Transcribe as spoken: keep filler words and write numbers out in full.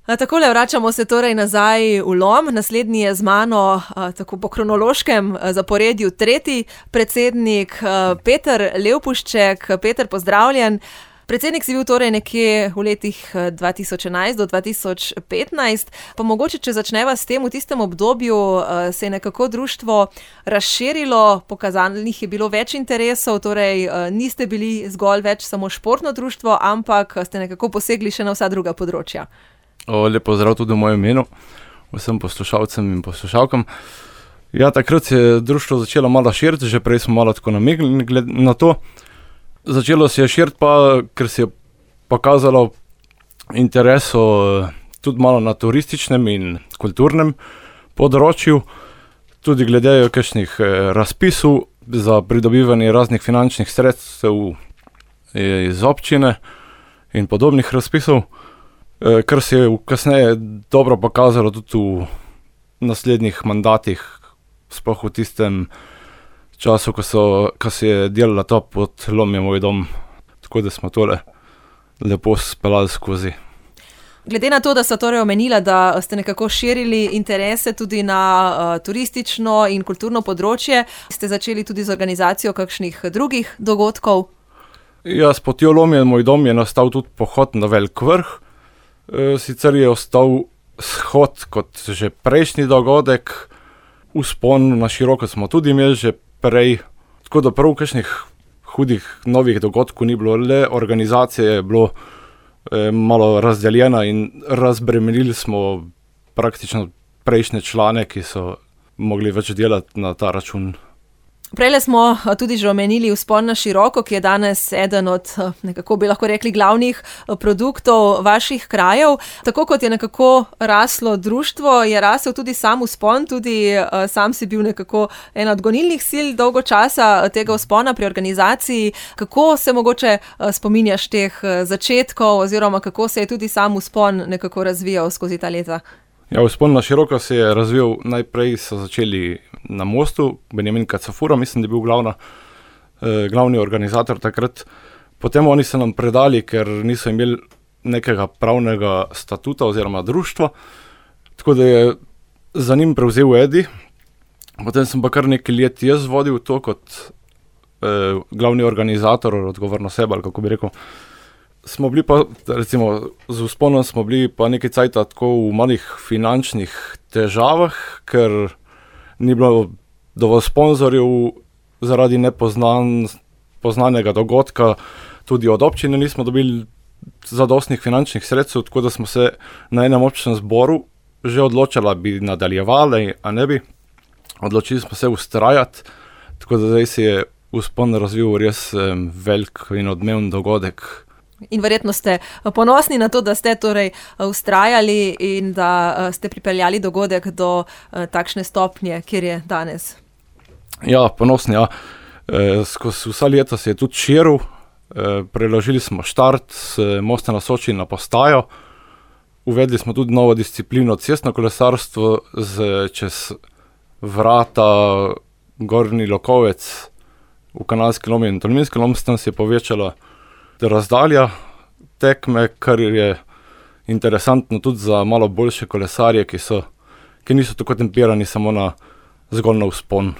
Takole vračamo se torej nazaj v Lom. Naslednji je z mano tako po kronološkem zaporedju tretji predsednik Peter Levpušček. Peter, pozdravljen. Predsednik si bil torej nekje v letih dva tisoč enajst do dva tisoč petnajst, pa mogoče, če začneva s tem, v tistem obdobju se je nekako društvo razširilo, pokazanih je bilo več interesov, torej niste bili zgolj več samo športno društvo, ampak ste nekako posegli še na vsa druga področja. O, lep pozdrav tudi v mojem imenu, vsem poslušalcem in poslušalkam. Ja, takrat se je društvo začelo malo širiti, že prej smo malo tako namignili na to. Začelo se je širiti pa, ker se je pokazalo intereso tudi malo na turističnem in kulturnem področju, tudi glede kakšnih razpisov za pridobivanje raznih finančnih sredstev iz občine in podobnih razpisov, kar se je kasneje dobro pokazalo tudi v naslednjih mandatih, sploh v tistem času, ko, so, ko se je delala ta pod Lom je moj dom, tako da smo tole lepo speljali skozi. Glede na to, da sta torej omenila, da ste nekako širili interese tudi na uh, turistično in kulturno področje, ste začeli tudi z organizacijo kakšnih drugih dogodkov? Ja, s potjo Lom je moj dom je nastal tudi pohod na Velik vrh, e, sicer je ostal shod kot že prejšnji dogodek, vzpon na široko smo tudi imeli že prej, tako da prav kakšnih hudih novih dogodkov ni bilo, le organizacija je bilo eh, malo razdeljena in razbremenili smo praktično prejšnje člane, ki so mogli več delati na ta račun. Prejle smo tudi že omenili vzpon na široko, ki je danes eden od, nekako bi lahko rekli, glavnih produktov vaših krajev. Tako kot je nekako raslo društvo, je rasel tudi sam vzpon, tudi sam si bil nekako ena od gonilnih sil dolgo časa tega vzpona pri organizaciji. Kako se mogoče spominjaš teh začetkov oziroma kako se je tudi sam vzpon nekako razvijal skozi ta leta? Ja, vzpon na široko se je razvijal, najprej so začeli na Mostu, Benjamin Kacafura, mislim, da je bil glavna, eh, glavni organizator takrat. Potem oni so nam predali, ker niso imeli nekega pravnega statuta oziroma društva, tako da je za njim prevzel Edi. Potem sem pa kar nekaj let jaz vodil to kot eh, glavni organizator, odgovorno sebe, ali kako bi rekel. Smo bili pa, recimo, z vzponom smo bili pa nekaj cajta tako v malih finančnih težavah, ker ni bilo dovolj sponzorjev zaradi nepoznanega dogodka, tudi od občine nismo dobili zadostnih finančnih sredstev, tako da smo se na enem občnem zboru že odločili, bi nadaljevali, a ne bi. Odločili smo se vztrajati, tako da zdaj se je vzpon razvil res um, velik in odmeven dogodek. In verjetno ste ponosni na to, da ste torej vztrajali in da ste pripeljali dogodek do takšne stopnje, kjer je danes. Ja, ponosni, ja. E, skozi vsa leta se je tudi širil, e, preložili smo štart s Mosta na Soči na postajo, uvedli smo tudi novo disciplino cestno kolesarstvo z, čez vrata Gornji Lokovec v Kanalski Lomi in Tolminski Lom, s tem se je povečala razdalja tekme, kar je interesantno tudi za malo boljše kolesarje, ki so, ki niso tako tempirani samo na zgolj na vzpon.